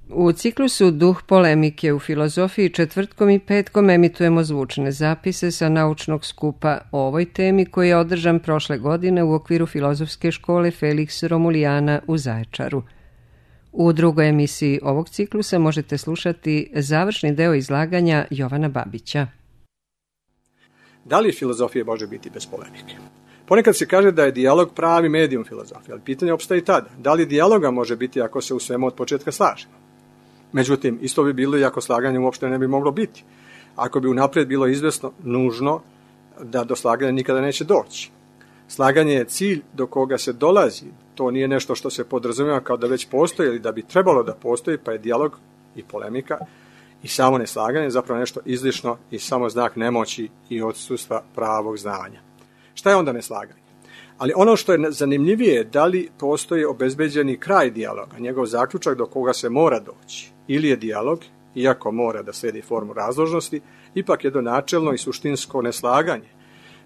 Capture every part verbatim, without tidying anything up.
U ciklusu Duh polemike u filozofiji četvrtkom i petkom emitujemo zvučne zapise sa naučnog skupa o ovoj temi koji je održan prošle godine u okviru Filozofske škole Felix Romulijana u Zaječaru. U drugoj emisiji ovog ciklusa možete slušati završni deo izlaganja Jovana Babića. Da li filozofija može biti bez polemike? Ponekad se kaže da je dijalog pravi medijum filozofije, ali pitanje opstaje i tada. Da li dijaloga može biti ako se u svemu od početka slažemo? Međutim, isto bi bilo i ako slaganje uopšte ne bi moglo biti. Ako bi unaprijed bilo izvesno, nužno, da do slaganja nikada neće doći. Slaganje je cilj do koga se dolazi. To nije nešto što se podrazumijeva kao da već postoji ili da bi trebalo da postoji, pa je dijalog i polemika i samo neslaganje zapravo nešto izlišno i samo znak nemoći i odsustva pravog znanja. Šta je onda neslaganje? Ali ono što je zanimljivije je da li postoji obezbeđeni kraj dijaloga, njegov zaključak do koga se mora doći. Ili je dijalog, iako mora da slijedi formu razložnosti, ipak jedno načelno i suštinsko neslaganje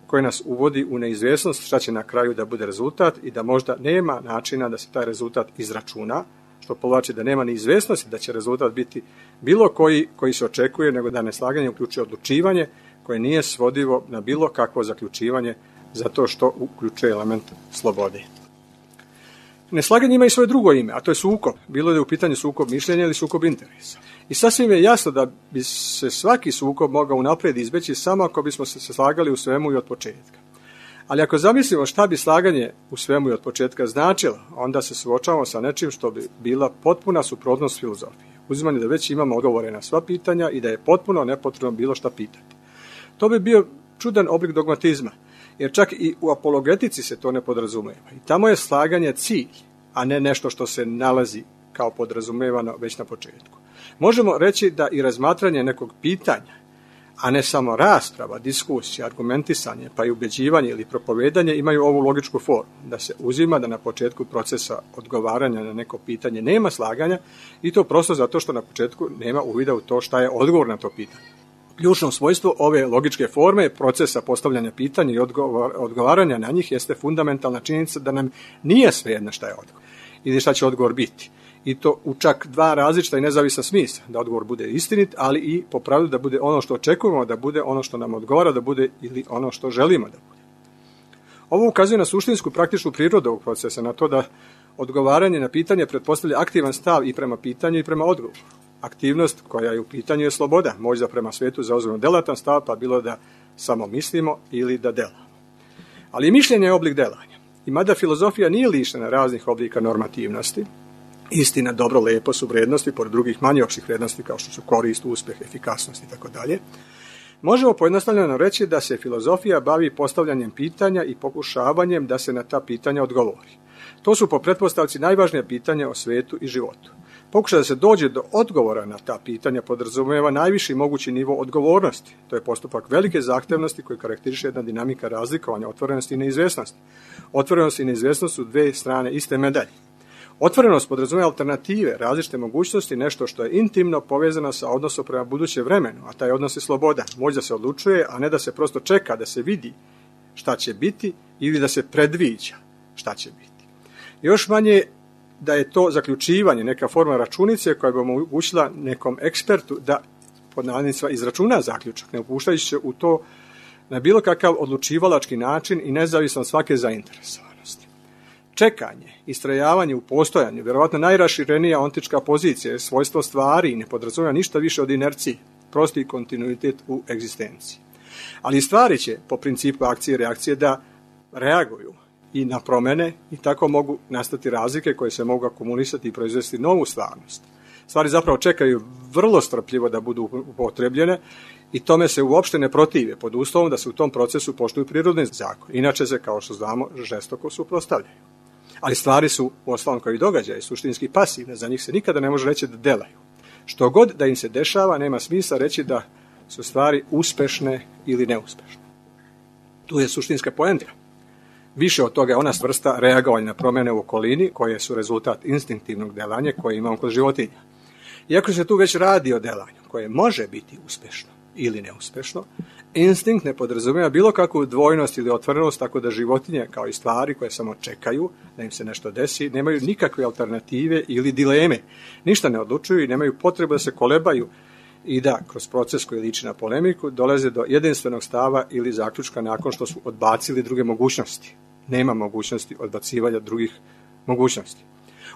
koje nas uvodi u neizvjesnost šta će na kraju da bude rezultat i da možda nema načina da se taj rezultat izračuna, što povlači da nema neizvjesnosti da će rezultat biti bilo koji koji se očekuje, nego da neslaganje uključuje odlučivanje koje nije svodivo na bilo kakvo zaključivanje zato što uključuje element slobode. Neslaganje ima i svoje drugo ime, a to je sukob. Bilo da je u pitanju sukob mišljenja ili sukob interesa. I sasvim je jasno da bi se svaki sukob mogao unaprijed izbeći samo ako bismo se slagali u svemu i od početka. Ali ako zamislimo šta bi slaganje u svemu i od početka značilo, onda se suočavamo sa nečim što bi bila potpuna suprotnost filozofije. Uzimanje da već imamo odgovore na sva pitanja i da je potpuno nepotrebno bilo šta pitati. To bi bio čudan oblik dogmatizma, jer čak i u apologetici se to ne podrazumijeva. I tamo je slaganje cilj, a ne nešto što se nalazi kao podrazumijevano već na početku. Možemo reći da i razmatranje nekog pitanja, a ne samo rasprava, diskusija, argumentisanje, pa i ubeđivanje ili propovedanje imaju ovu logičku formu, da se uzima da na početku procesa odgovaranja na neko pitanje nema slaganja i to prosto zato što na početku nema uvida u to šta je odgovor na to pitanje. Ključno svojstvo ove logičke forme procesa postavljanja pitanja i odgovaranja na njih jeste fundamentalna činjenica da nam nije svejedno šta je odgovor ili šta će odgovor biti. I to u čak dva različita i nezavisna smisla, da odgovor bude istinit, ali i po pravilu da bude ono što očekujemo da bude, ono što nam odgovara da bude ili ono što želimo da bude. Ovo ukazuje na suštinsku praktičnu prirodu ovog procesa, na to da odgovaranje na pitanje pretpostavlja aktivan stav i prema pitanju i prema odgovoru. Aktivnost koja je u pitanju je sloboda, možda prema svetu zauzmemo delatan stav, pa bilo da samo mislimo ili da delamo. Ali mišljenje je oblik delanja. I mada filozofija nije lišena raznih oblika normativnosti, istina, dobro, lepo su vrednosti, pored drugih manje opštih vrednosti kao što su korist, uspjeh, efikasnost i tako dalje, možemo pojednostavljeno reći da se filozofija bavi postavljanjem pitanja i pokušavanjem da se na ta pitanja odgovori. To su po pretpostavci najvažnija pitanja o svetu i životu. Pokušaj da se dođe do odgovora na ta pitanja podrazumijeva najviši mogući nivo odgovornosti. To je postupak velike zahtevnosti koji karakteriše jedna dinamika razlikovanja otvorenosti i neizvjesnosti. Otvorenost i neizvjesnost su dve strane iste medalje. Otvorenost podrazumijeva alternative, različite mogućnosti, nešto što je intimno povezano sa odnosom prema budućem vremenu, a taj odnos je sloboda. Moć da se odlučuje, a ne da se prosto čeka da se vidi šta će biti ili da se predviđa šta će biti. Još manje da je to zaključivanje, neka forma računice koja bi omogućila nekom ekspertu da pod navodnicima izračuna zaključak, ne upuštajući se u to na bilo kakav odlučivalački način i nezavisno od svake zainteresovanosti. Čekanje, istrajavanje u postojanju, vjerovatno najraširenija ontička pozicija je svojstvo stvari i ne podrazumijeva ništa više od inercije, prosti kontinuitet u egzistenciji. Ali stvari će, po principu akcije i reakcije, da reaguju i na promjene i tako mogu nastati razlike koje se mogu akumulisati i proizvesti novu stvarnost. Stvari zapravo čekaju vrlo strpljivo da budu upotrebljene i tome se uopšte ne protive pod uslovom da se u tom procesu poštuju prirodni zakon. Inače se, kao što znamo, žestoko suprotstavljaju. Ali stvari su, uostalom kao i događaje, suštinski pasivne, za njih se nikada ne može reći da delaju. Što god da im se dešava, nema smisla reći da su stvari uspešne ili neuspešne. Tu je suštinska poenta. Više od toga je ona vrsta reagovanja na promjene u okolini koje su rezultat instinktivnog delanja koje imamo kod životinja. Iako se tu već radi o delanju koje može biti uspešno, ili neuspešno. Instinkt ne podrazumijeva bilo kakvu dvojnost ili otvorenost, tako da životinje, kao i stvari koje samo čekaju da im se nešto desi, nemaju nikakve alternative ili dileme. Ništa ne odlučuju i nemaju potrebu da se kolebaju i da, kroz proces koji liči na polemiku, dolaze do jedinstvenog stava ili zaključka nakon što su odbacili druge mogućnosti. Nema mogućnosti odbacivanja drugih mogućnosti.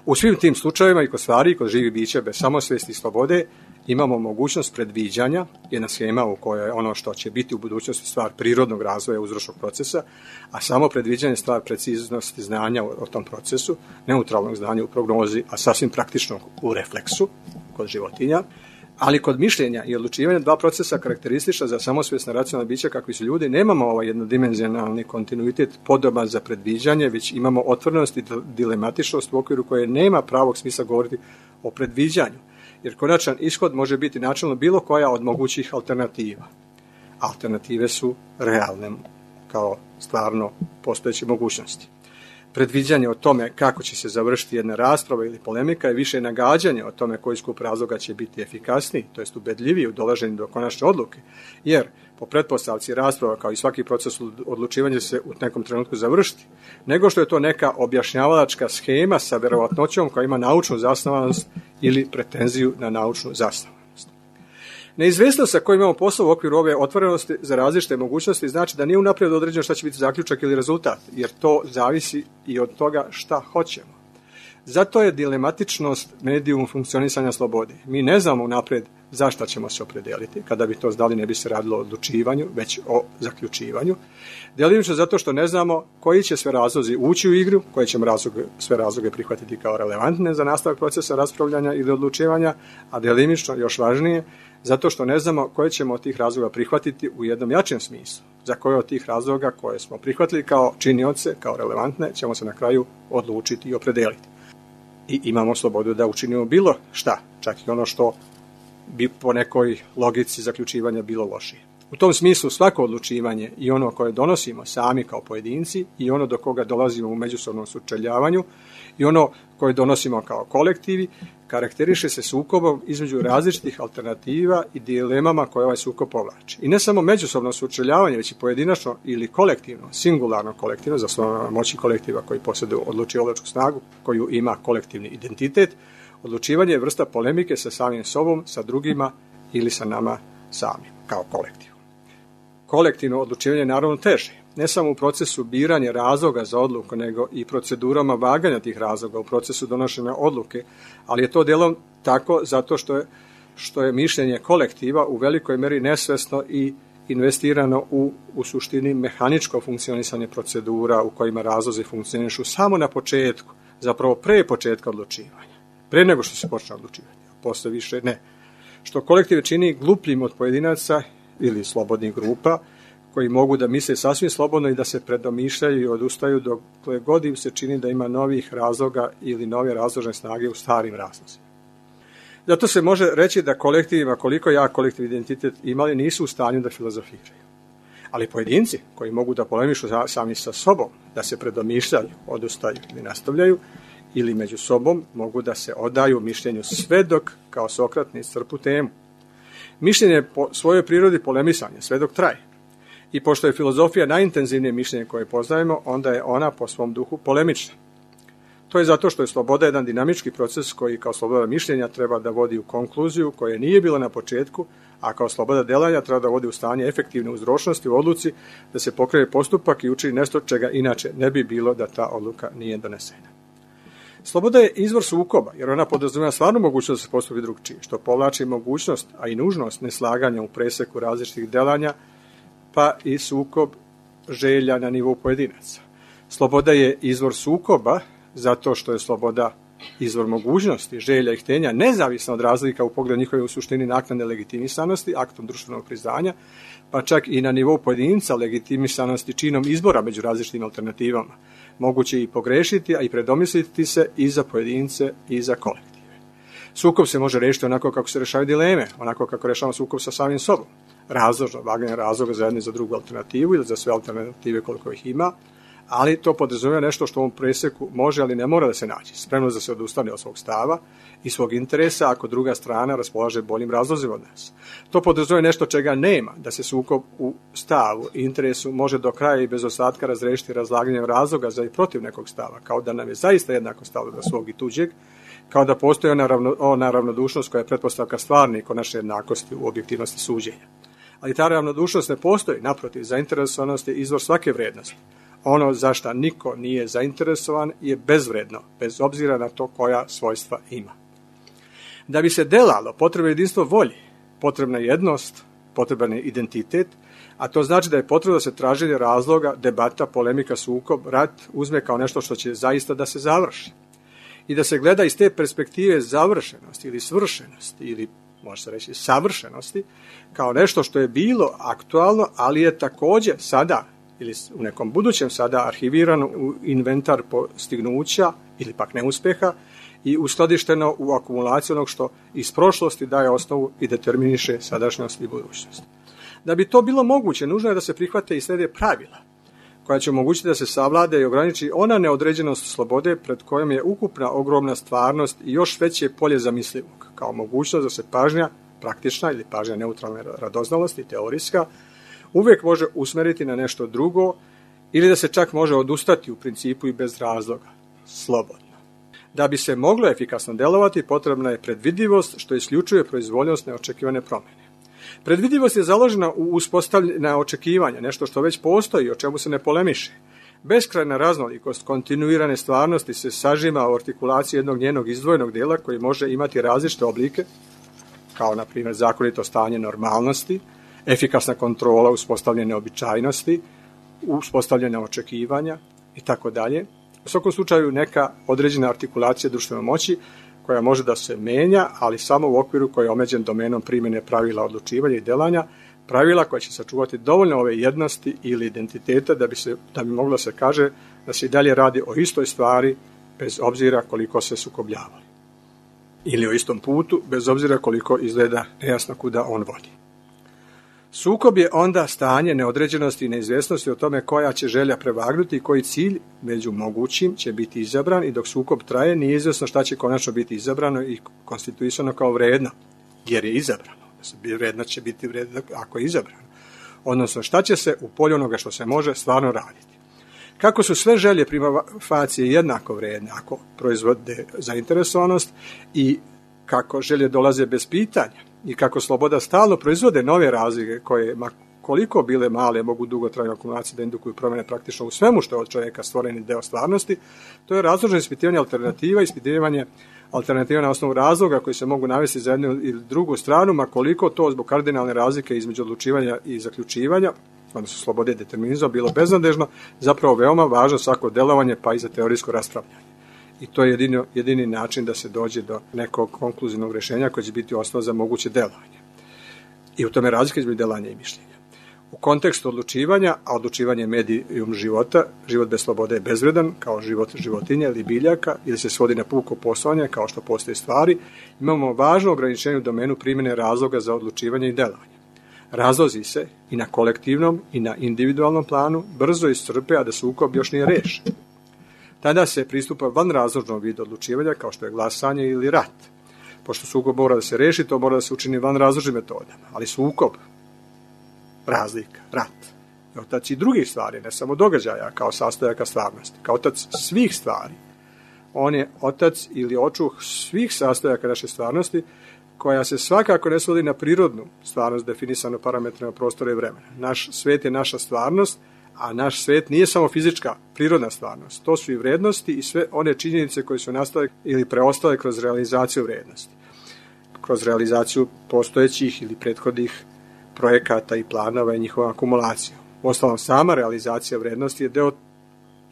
U svim tim slučajevima i kod stvari, kod živih bića bez samosvesti i slobode, imamo mogućnost predviđanja, jedna schema u kojoj je ono što će biti u budućnosti stvar prirodnog razvoja uzročnog procesa, a samo predviđanje stvar preciznosti znanja o tom procesu, neutralnog znanja u prognozi, a sasvim praktičnog u refleksu kod životinja. Ali kod mišljenja i odlučivanja dva procesa karakteristična za samosvjesna racionalna bića kakvi su ljudi, nemamo ovaj jednodimenzionalni kontinuitet podoban za predviđanje, već imamo otvorenost i dilematičnost u okviru koje nema pravog smisla govoriti o predviđanju. Jer konačan ishod može biti načelno bilo koja od mogućih alternativa. Alternative su realne kao stvarno postojeće mogućnosti. Predviđanje o tome kako će se završiti jedna rasprava ili polemika je više nagađanje o tome koji skup razloga će biti efikasniji, to jest ubedljiviji u dolaženju do konačne odluke, jer po pretpostavci rasprava kao i svaki proces odlučivanja se u nekom trenutku završiti, nego što je to neka objašnjavalačka schema sa verovatnoćom koja ima naučnu zasnovanost ili pretenziju na naučnu zasnovanost. Neizvesnost sa kojom imamo posao u okviru ove otvorenosti za različite mogućnosti znači da nije unaprijed određeno šta će biti zaključak ili rezultat, jer to zavisi i od toga šta hoćemo. Zato je dilematičnost medijum funkcionisanja slobode. Mi ne znamo unaprijed za šta ćemo se opredeliti. Kada bi to znali, ne bi se radilo o odlučivanju, već o zaključivanju. Delimično zato što ne znamo koji će sve razlozi ući u igru, koje ćemo razloge, sve razloge prihvatiti kao relevantne za nastavak procesa raspravljanja ili odlučivanja, a delimično, još važnije, zato što ne znamo koje ćemo od tih razloga prihvatiti u jednom jačem smislu. Za koje od tih razloga koje smo prihvatili kao činioce, kao relevantne, ćemo se na kraju odlučiti i opredeliti. I imamo slobodu da učinimo bilo šta, čak i ono što bi po nekoj logici zaključivanja bilo lošije. U tom smislu svako odlučivanje i ono koje donosimo sami kao pojedinci i ono do koga dolazimo u međusobnom sučeljavanju i ono koje donosimo kao kolektivi karakteriše se sukobom između različitih alternativa i dilemama koje ovaj sukob povlači. I ne samo međusobno sučeljavanje, već i pojedinačno ili kolektivno, singularno kolektivno, zasnovano moći kolektiva koji posjeduju odlučivačku snagu, koju ima kolektivni identitet. Odlučivanje je vrsta polemike sa samim sobom, sa drugima ili sa nama samim, kao kolektiv. Kolektivno odlučivanje je naravno teže, ne samo u procesu biranja razloga za odluku, nego i procedurama vaganja tih razloga u procesu donošenja odluke, ali je to delom tako zato što je, što je mišljenje kolektiva u velikoj meri nesvesno i investirano u, u suštini mehaničko funkcionisanje procedura u kojima razlozi funkcionišu samo na početku, zapravo pre početka odlučivanja, pre nego što se počne odlučivanje, posle više ne. Što kolektiv čini glupljim od pojedinaca ili slobodnih grupa, koji mogu da misle sasvim slobodno i da se predomišljaju i odustaju dokle god im se čini da ima novih razloga ili nove razložne snage u starim razlozima. Zato se može reći da kolektivima, koliko jak kolektiv identitet imali, nisu u stanju da filozofiraju. Ali pojedinci koji mogu da polemišu sami sa sobom, da se predomišljaju, odustaju ili nastavljaju, ili među sobom mogu da se odaju mišljenju sve dok kao Sokrat ne iscrpu temu. Mišljenje je po svojoj prirodi polemisanje, sve dok traje. I pošto je filozofija najintenzivnije mišljenje koje poznajemo, onda je ona po svom duhu polemična. To je zato što je sloboda jedan dinamički proces koji kao sloboda mišljenja treba da vodi u konkluziju koje nije bila na početku, a kao sloboda delanja treba da vodi u stanje efektivne uzročnosti u odluci, da se pokrene postupak i učini nešto čega inače ne bi bilo da ta odluka nije donesena. Sloboda je izvor sukoba, jer ona podrazumijeva stvarnu mogućnost da se postupi drugčije, što povlači mogućnost, a i nužnost neslaganja u preseku različitih delanja, pa i sukob želja na nivou pojedinaca. Sloboda je izvor sukoba zato što je sloboda izvor mogućnosti, želja i htenja, nezavisno od razlika u pogledu njihove u suštini naknadne legitimisanosti, aktom društvenog priznanja, pa čak i na nivou pojedinca legitimisanosti činom izbora među različitim alternativama. Moguće i pogrešiti, a i predomisliti se i za pojedince i za kolektive. Sukob se može rešiti onako kako se rešavaju dileme, onako kako rešavamo sukob sa samim sobom. Razložno, vaganje razloga za jednu i za drugu alternativu ili za sve alternative koliko ih ima, ali to podrazumijeva nešto što u ovom presjeku može, ali ne mora da se naći. Spremnost da se odustane od svog stava i svog interesa ako druga strana raspolaže boljim razlozima od nas. To podrazumijeva nešto čega nema, da se sukob u stavu i interesu može do kraja i bez ostatka razrešiti razlaganjem razloga za i protiv nekog stava, kao da nam je zaista jednako stalo do svog i tuđeg, kao da postoji ona, ravno, ona ravnodušnost koja je pretpostavka stvarne i konačne jednakosti u objektivnosti suđenja. Ali ta ravnodušnost ne postoji, naprotiv, zainteresovanost je izvor svake vrednosti. Ono za šta niko nije zainteresovan je bezvredno, bez obzira na to koja svojstva ima. Da bi se delalo, potrebno je jedinstvo volje, potrebna je jednost, potreban je identitet, a to znači da je potrebno da se traženje razloga, debata, polemika, sukob, rat uzme kao nešto što će zaista da se završi. I da se gleda iz te perspektive završenosti ili svršenosti ili može se reći savršenosti kao nešto što je bilo aktualno, ali je također sada ili u nekom budućem sada arhivirano u inventar postignuća ili pak neuspeha i uskladišteno u akumulaciju onog što iz prošlosti daje osnovu i determiniše sadašnjost i budućnost. Da bi to bilo moguće, nužno je da se prihvate i slijede pravila koja će omogućiti da se savlade i ograniči ona neodređenost slobode pred kojom je ukupna ogromna stvarnost i još veće polje zamislivog, kao mogućnost da se pažnja praktična ili pažnja neutralne radoznalosti, teorijska, uvijek može usmeriti na nešto drugo ili da se čak može odustati u principu i bez razloga, slobodno. Da bi se moglo efikasno delovati, potrebna je predvidivost, što isključuje proizvoljnost neočekivane promjene. Predvidivost je založena u uspostavljena očekivanja, nešto što već postoji, o čemu se ne polemiše. Beskrajna raznolikost kontinuirane stvarnosti se sažima u artikulaciji jednog njenog izdvojenog dijela koji može imati različite oblike, kao na primjer zakonito stanje normalnosti, efikasna kontrola uspostavljene običajnosti, uspostavljene očekivanja i tako dalje. U svakom slučaju neka određena artikulacija društvene moći koja može da se menja, ali samo u okviru koji je omeđen domenom primjene pravila odlučivanja i delanja, pravila koja će sačuvati dovoljno ove jednosti ili identiteta da bi, se, da bi moglo se kaže da se i dalje radi o istoj stvari bez obzira koliko se sukobljavali. Ili o istom putu bez obzira koliko izgleda nejasno kuda on vodi. Sukob je onda stanje neodređenosti i neizvjesnosti o tome koja će želja prevagnuti i koji cilj među mogućim će biti izabran i dok sukob traje nije izvjesno šta će konačno biti izabrano i konstituisano kao vredno, jer je izabrano. Vredno će biti vredno ako je izabrano. Odnosno šta će se u polju onoga što se može stvarno raditi. Kako su sve želje prima facije jednako vredne ako proizvode zainteresovanost i kako želje dolaze bez pitanja, i kako sloboda stalno proizvode nove razlike koje, ma koliko bile male, mogu dugotrajne akumulacije da indukuju promjene praktično u svemu što je od čovjeka stvoreni deo stvarnosti, to je razložno ispitivanje alternativa, ispitivanje alternativa na osnovu razloga koji se mogu navesti za jednu ili drugu stranu, ma koliko to zbog kardinalne razlike između odlučivanja i zaključivanja, odnosno slobode i determinizma, bilo beznadežno, zapravo veoma važno svako delovanje pa i za teorijsko raspravljanje. I to je jedini, jedini način da se dođe do nekog konkluzivnog rješenja koje će biti osnova za moguće delovanje. I u tome razlika između delanja i mišljenja. U kontekstu odlučivanja, a odlučivanje je medijum života, život bez slobode je bezvredan, kao život životinja ili biljaka, ili se svodi na puko poslovanje, kao što postoje stvari, imamo važno ograničenje u domenu primjene razloga za odlučivanje i delovanje. Razlozi se i na kolektivnom i na individualnom planu brzo iscrpe, a da sukob još nije rešen. Tada se pristupa vanrazložnom vidu odlučivanja kao što je glasanje ili rat. Pošto sukob mora da se reši, to mora da se učini vanrazložnim metodama. Ali sukob, razlika, rat, je otac i drugih stvari, ne samo događaja kao sastojaka stvarnosti. Kao otac svih stvari. On je otac ili očuh svih sastojaka naše stvarnosti koja se svakako ne svodi na prirodnu stvarnost definisanu parametrima prostora i vremena. Naš svet je naša stvarnost, a naš svet nije samo fizička, prirodna stvarnost. To su i vrednosti i sve one činjenice koje su nastale ili preostale kroz realizaciju vrednosti. Kroz realizaciju postojećih ili prethodnih projekata i planova i njihova akumulacija. Uostalom, sama realizacija vrednosti je deo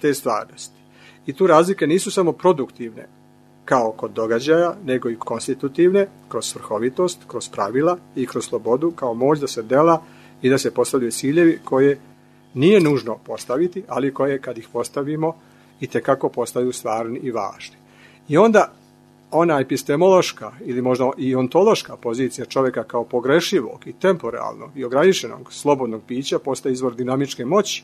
te stvarnosti. I tu razlike nisu samo produktivne, kao kod događaja, nego i konstitutivne, kroz svrhovitost, kroz pravila i kroz slobodu, kao moć da se dela i da se postavljaju ciljevi koje nije nužno postaviti, ali koje kad ih postavimo i tekako postaju stvarni i važni. I onda ona epistemološka ili možda i ontološka pozicija čovjeka kao pogrešivog i temporalnog i ograničenog slobodnog bića postaje izvor dinamičke moći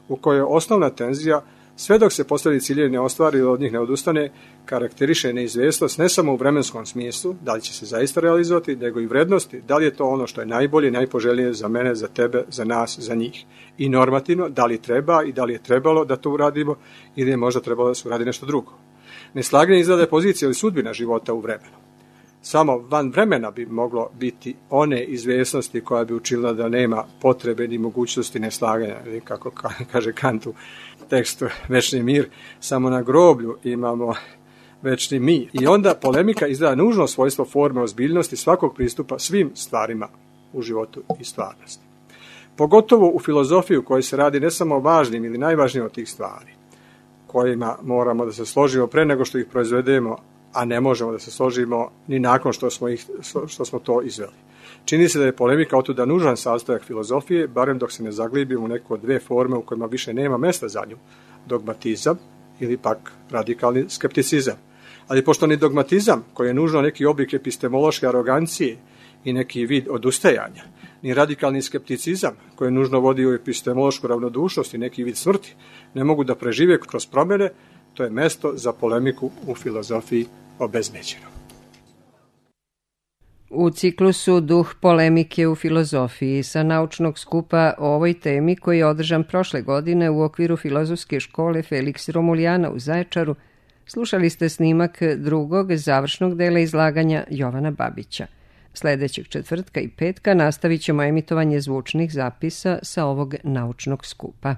u kojoj je osnovna tenzija, sve dok se postavlji ciljevi ne ostvari ili od njih ne odustane, karakteriše neizvjesnost ne samo u vremenskom smislu, da li će se zaista realizovati, nego i vrednosti, da li je to ono što je najbolje i najpoželjnije za mene, za tebe, za nas, za njih. I normativno, da li treba i da li je trebalo da to uradimo ili je možda trebalo da se uradi nešto drugo. Neslaganje izgleda pozicija ili sudbina života u vremenu. Samo van vremena bi moglo biti one izvjesnosti koja bi učinila da nema potrebe ni mogućnosti neslaganja, ili kako kaže Kant u tekstu Večni mir, samo na groblju imamo večni mir. I onda polemika izgleda nužno svojstvo forme ozbiljnosti svakog pristupa svim stvarima u životu i stvarnosti. Pogotovo u filozofiji u kojoj se radi ne samo o važnim ili najvažnijim od tih stvari, kojima moramo da se složimo pre nego što ih proizvedemo, a ne možemo da se složimo ni nakon što smo, ih, što smo to izveli. Čini se da je polemika otuda nužan sastojak filozofije, barem dok se ne zaglibimo u neko dve forme u kojima više nema mesta za nju, dogmatizam ili pak radikalni skepticizam. Ali pošto ni dogmatizam, koji je nužno neki oblik epistemološke arogancije i neki vid odustajanja, ni radikalni skepticizam, koji je nužno vodi u epistemološku ravnodušnost i neki vid smrti, ne mogu da prežive kroz promjene, to je mesto za polemiku u filozofiji obezbeđeno. U ciklusu Duh polemike u filozofiji sa naučnog skupa o ovoj temi koji je održan prošle godine u okviru Filozofske škole Felix Romulijana u Zaječaru, slušali ste snimak drugog završnog dela izlaganja Jovana Babića. Sljedećeg četvrtka i petka nastavit ćemo emitovanje zvučnih zapisa sa ovog naučnog skupa.